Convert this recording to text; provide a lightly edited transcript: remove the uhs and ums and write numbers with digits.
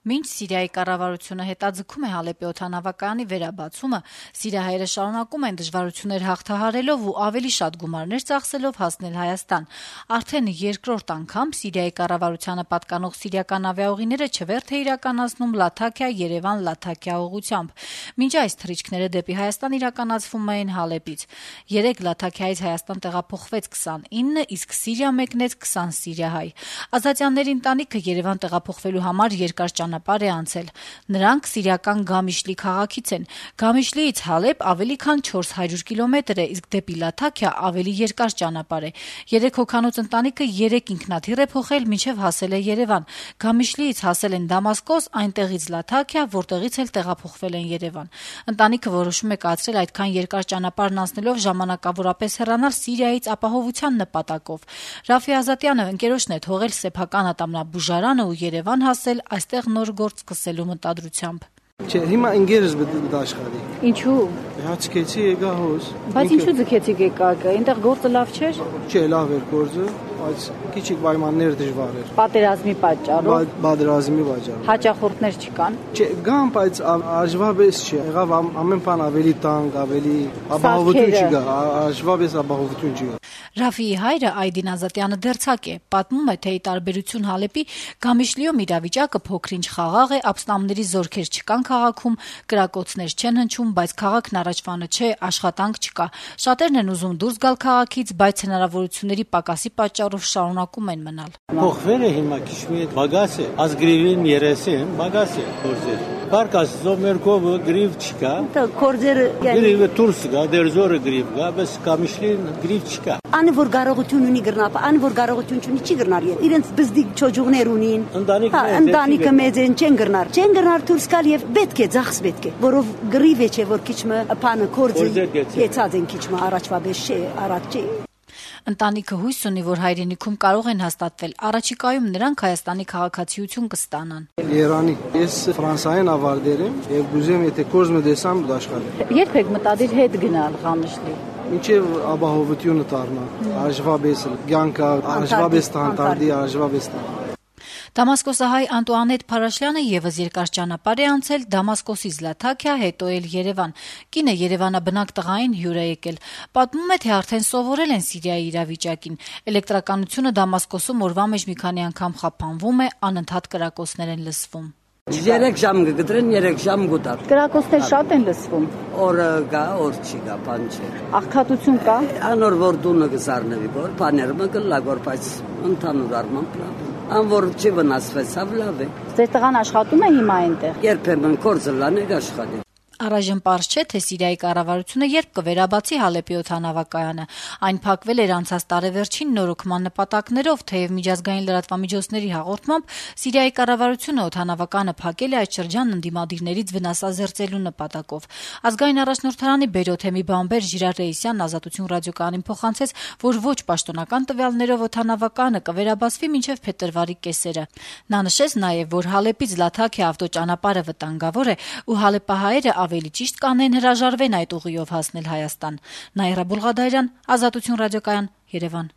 Մինչ Սիրիայի կառավարությունը հետաձգում է Հալեպի օդանավակայանի վերաբացումը, սիրիահայերը շարունակում են դժվարություններ հաղթահարելով ու ավելի շատ գումարներ ծախսելով հասնել Հայաստան։ Արդեն երկրորդ անգամ Սիրիայի կառավարությանը պատկանող սիրիական ավիաուղիները չվերթ է իրականացնում Լաթաքիա-Երևան-Լաթաքիա ուղղությամբ։ Մինչ այս թռիչքները դեպի Հայաստան իրականացվում էին Հալեպից։ Երեկ Լաթաքիայից Հայաստան տեղափոխվեց 29, իսկ Սիրիա մեկնեց 20 սիրիահայ։ Ազատյանների ընտանիքը Երևան տեղափոխվելու համար երկար ճանապարհ է անցել։ Նրանք սիրիական Գամիշլի քաղաքից են։ Գամիշլիից Հալեպ ավելի քան 400 կիլոմետր է, իսկ դեպի Լաթաքիա ավելի երկար ճանապարհ է։ 3 հոգանոց ընտանիքը 3 ինքնաթիռ է փոխել, մինչև հասել է Երևան։ Գամիշլիից հասել են Դամասկոս, այնտեղից Լաթաքիա, որտեղից էլ տեղափոխվել են Երևան։ Ընտանիքը որոշում է կացրել այդքան երկար ճանապարհն անցնելով ժամանակավորապես հեռանալ Սիրիայից ապահովության նպատակով։ Ռաֆի Ազատյանը ընկերոջն է թողել սեփական ատամնաբուժարանը ու Երևան հասել այստեղ նոր գործ սկսելու մտադրությամբ։ Չէ, հիմա ինգերս դաշխարի։ Ինչու։ Հացկեցի եկա հոս։ Բայց ինչու ձգեցիք եկաք։ Այնտեղ գործը լավ չէր։ Չէ, լավ էր գործը, բայց քիչ պայմաններ դժվար էր։ Պատերազմի պատճառով։ Պատերազմի պատճառով։ Հաճախորդներ չկան։ Չէ, գան, բայց աժվաբես չէ։ Եղավ ամեն բան ավելի տանկ, ավելի ապահովություն չկա, աժվաբես ապահովություն չկա։ Ռաֆիի հայրը Այդին Ազատյանը դերձակ է, պատմում է, թե ի տարբերություն Հալեպի, Գամիշլիում իրավիճակը փոքր-ինչ խաղաղ է, ապստամբների զորքեր չկան քաղաքում, կրակոցներ չեն հնչում, բայց քաղաքն առաջվանը չէ, աշխատանք չկա։ Շատերն են ուզում դուրս գալ քաղաքից, բայց հնարավորությունների պակասի պատճառով շարունակում են մնալ։ Փոխվել է հիմա քիչ մի բագաս է, ազգրիվին 30 բագաս է գործեր։ Պարկաս զոմերկովը գրիվ չկա։ Կորձերը գրիվը դուրս գա, դերզորը գրիվ գա, բայց Գամիշլին գրիվ չկա։ Ան որ կարողություն ունի գրնապ, ան որ կարողություն չունի չի գրնար։ Իրենց բզդիկ չոջուղներ ունին։ Ընտանիքը մեծ են չեն գրնար։ Չեն գրնար դուրս գալ եւ պետք է ծախս պետք է, որով գրիվ է չէ որ քիչմը փանը կորձը եծած են քիչմը առաջվա բես չէ, առաջ չէ։ Ընտանիքը հույս ունի, որ հայրենիքում կարող են հաստատվել։ Առաջիկայում նրանք Հայաստանի քաղաքացիություն կստանան։ Երանի, ես Ֆրանսիայեն ավարտել եմ եւ գուզեմ եթե կորզը դեսամ դաշխարել։ Երբ եք մտադիր հետ գնալ Ղամիշլի։ Մինչև ապահովությունը դառնա, աժվաբեսը, ցանկա, աժվաբես տանտարդի, աժվաբես տան։ Դամասկոսահայ Անտուանետ Փարաշյանը եւս երկար ճանապարհ է անցել Դամասկոսից Լաթաքիա, հետո էլ Երևան։ Կինը Երևանաբնակ տղային հյուր է եկել։ Պատմում է, թե արդեն սովորել են Սիրիայի իրավիճակին։ Էլեկտրականությունը Դամասկոսում օրվա մեջ մի քանի անգամ խափանվում է, անընդհատ կրակոցներ են լսվում։ 3 ժամ կգտրեն, 3 ժամ գուտար։ Կրակոցներ շատ են լսվում։ Օրը գա, օր չի գա, բան չէ։ Աղքատություն կա։ Անոր որ դունը կզարնվի, որ բաները կլա, որ բայց ընդհանուր առմամբ լավ։ Ան որ չի վնասվեցավ լավ է։ Ձեր տղան աշխատում է հիմա այնտեղ։ Երբեմն կորձը լանել աշխատի։ Առայժմ պարզ չէ, թե Սիրիայի կառավարությունը երբ կվերաբացի Հալեպի օդանավակայանը։ Այն փակվել էր անցած տարեվերջին նորոգման նպատակներով, թեև միջազգային լրատվամիջոցների հաղորդմամբ Սիրիայի կառավարությունը օդանավականը փակել է այդ շրջանն ընդդիմադիրներից վնասազերծելու նպատակով։ Ազգային առաջնորդարանի բերոթեմի բամբեր Ժիրար Ռեյսյանն Ազատություն ռադիոկայանին փոխանցեց, որ ոչ պաշտոնական տվյալներով օդանավականը կվերաբացվի մինչև փետրվարի կեսերը։ Նա նշեց նաև, որ Հալեպից Լաթաքիա ավտոճանապարհը վտանգավոր է ու հալեպահայերը ավելի ճիշտ կանեն հրաժարվեն այդ ուղիով հասնել Հայաստան։ Նաիրա Բուլղադարյան, Ազատություն ռադիոկայան, Երևան։